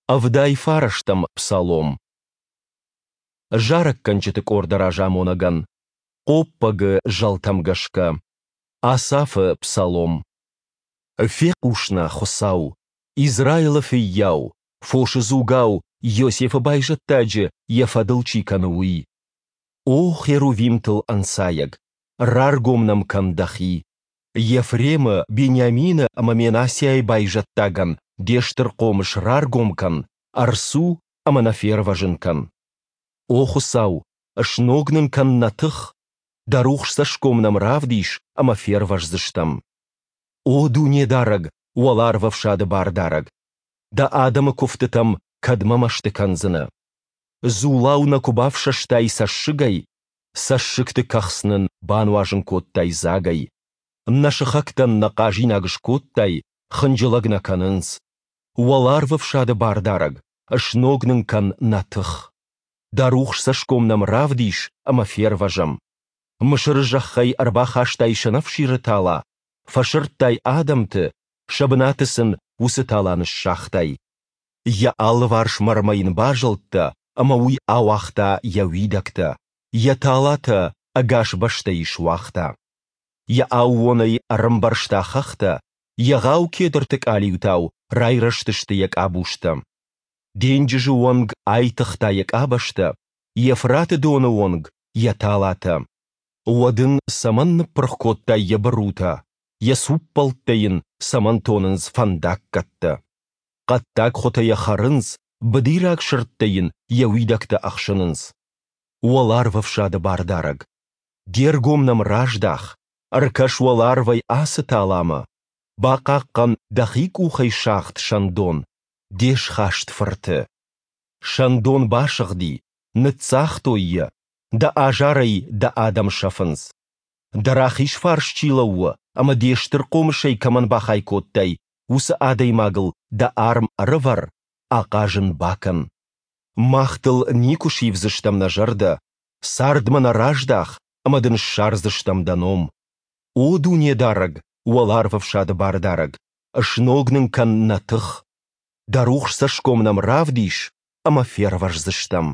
79-ӕм псалом. Зарӕггӕнджыты къорды разамонӕгӕн. Хъоппӕгы зӕлтӕм гӕсгӕ. Асафы псалом. Фехъус нӕ, Хуыцау, Израилы фыййау, фосы дзугау Иосифы байзӕддаджы йӕ фӕдыл чи кӕны, уый. О херувимтыл ӕнцайӕг, раргом нӕм кӕн Дӕхи. Ефремы, Бениамины ӕмӕ Менассиайы байзӕддагӕн Де стыр хъомыс раргом кӕн, ӕрцу ӕмӕ нӕ фервӕзын кӕн. О Хуыцау, сног нын кӕн нӕ тых, Дӕ рухс цӕсгом нӕм равдис ӕмӕ фервӕздзыстӕм. О Дунедарӕг, Уӕларвӕфсады Бардарӕг, Дӕ адӕмы куывдтытӕм кӕдмӕ мӕсты кӕндзынӕ? Дзулау нӕ куы бафсӕстай цӕссыгӕй, Цӕссыгты кӕхц нын бануазын кодтай дзагӕй. Нӕ сыхӕгтӕн нӕ хъазинаг скодтай, хынджылӕг нӕ кӕнынц. Уӕларвӕфсады Бардарӕг, сног нын кӕн нӕ тых. Дӕ рухс цӕсгом нӕм равдис ӕмӕ фервӕзӕм. Мысыры зӕххӕй ӕрбахастай сӕнӕфсиры тала, фӕсырдтай адӕмты, сӕ бынаты сын уыцы тала ныссагътай. Йӕ алыварс мӕрмӕ йын базылдтӕ, ӕмӕ уый ауагъта йӕ уидӕгтӕ, йӕ талатӕ ӕгас бӕстӕйы суагъта. Йӕ аууонӕй ӕрӕмбӕрзта хӕхтӕ, егъау кедрты къалиутау райрӕзтысты йӕ къабузтӕ. Денджызы онг айтыгъта йӕ къабӕзтӕ, Евфраты доны онг йӕ талатӕ. Уӕд ын цӕмӕн ныппырх кодтай йӕ бырутӕ, йӕ цуппӕлттӕ йын цӕмӕн тонынц фӕндаггӕттӕ? Хъӕддаг хуытӕ йӕ хӕрынц, быдираг сырдтӕ йын йӕ уидӕгтӕ ӕхсынынц. Уӕларвӕфсады Бардарӕг, де ргом нӕм раздах, ӕркӕс уӕларвӕй ацы таламӕ, бахъахъхъӕн дӕхи къухӕй сагъд сӕндон, де схаст фырты. Сӕндон басыгъди, ныццагътой йӕ, дӕ азарӕй дӕ адӕм сӕфынц. Дӕ рахиз фарс чи лӕууы ӕмӕ де стыр хъомысӕй кӕмӕн бахай кодтай, уыцы адӕймагыл дӕ арм ӕрӕвӕр, ахъаз ын бакӕн. Мах дыл никуы сивдзыстӕм нӕ зӕрдӕ, цардмӕ нӕ раздах ӕмӕ дын ссардзыстӕм дӕ ном. О Дунедарӕг, Уӕларвӕфсады Бардарӕг, сног нын кӕн нӕ тых. Дӕ рухс цӕсгом нӕм равдис, ӕмӕ фервӕздзыстӕм.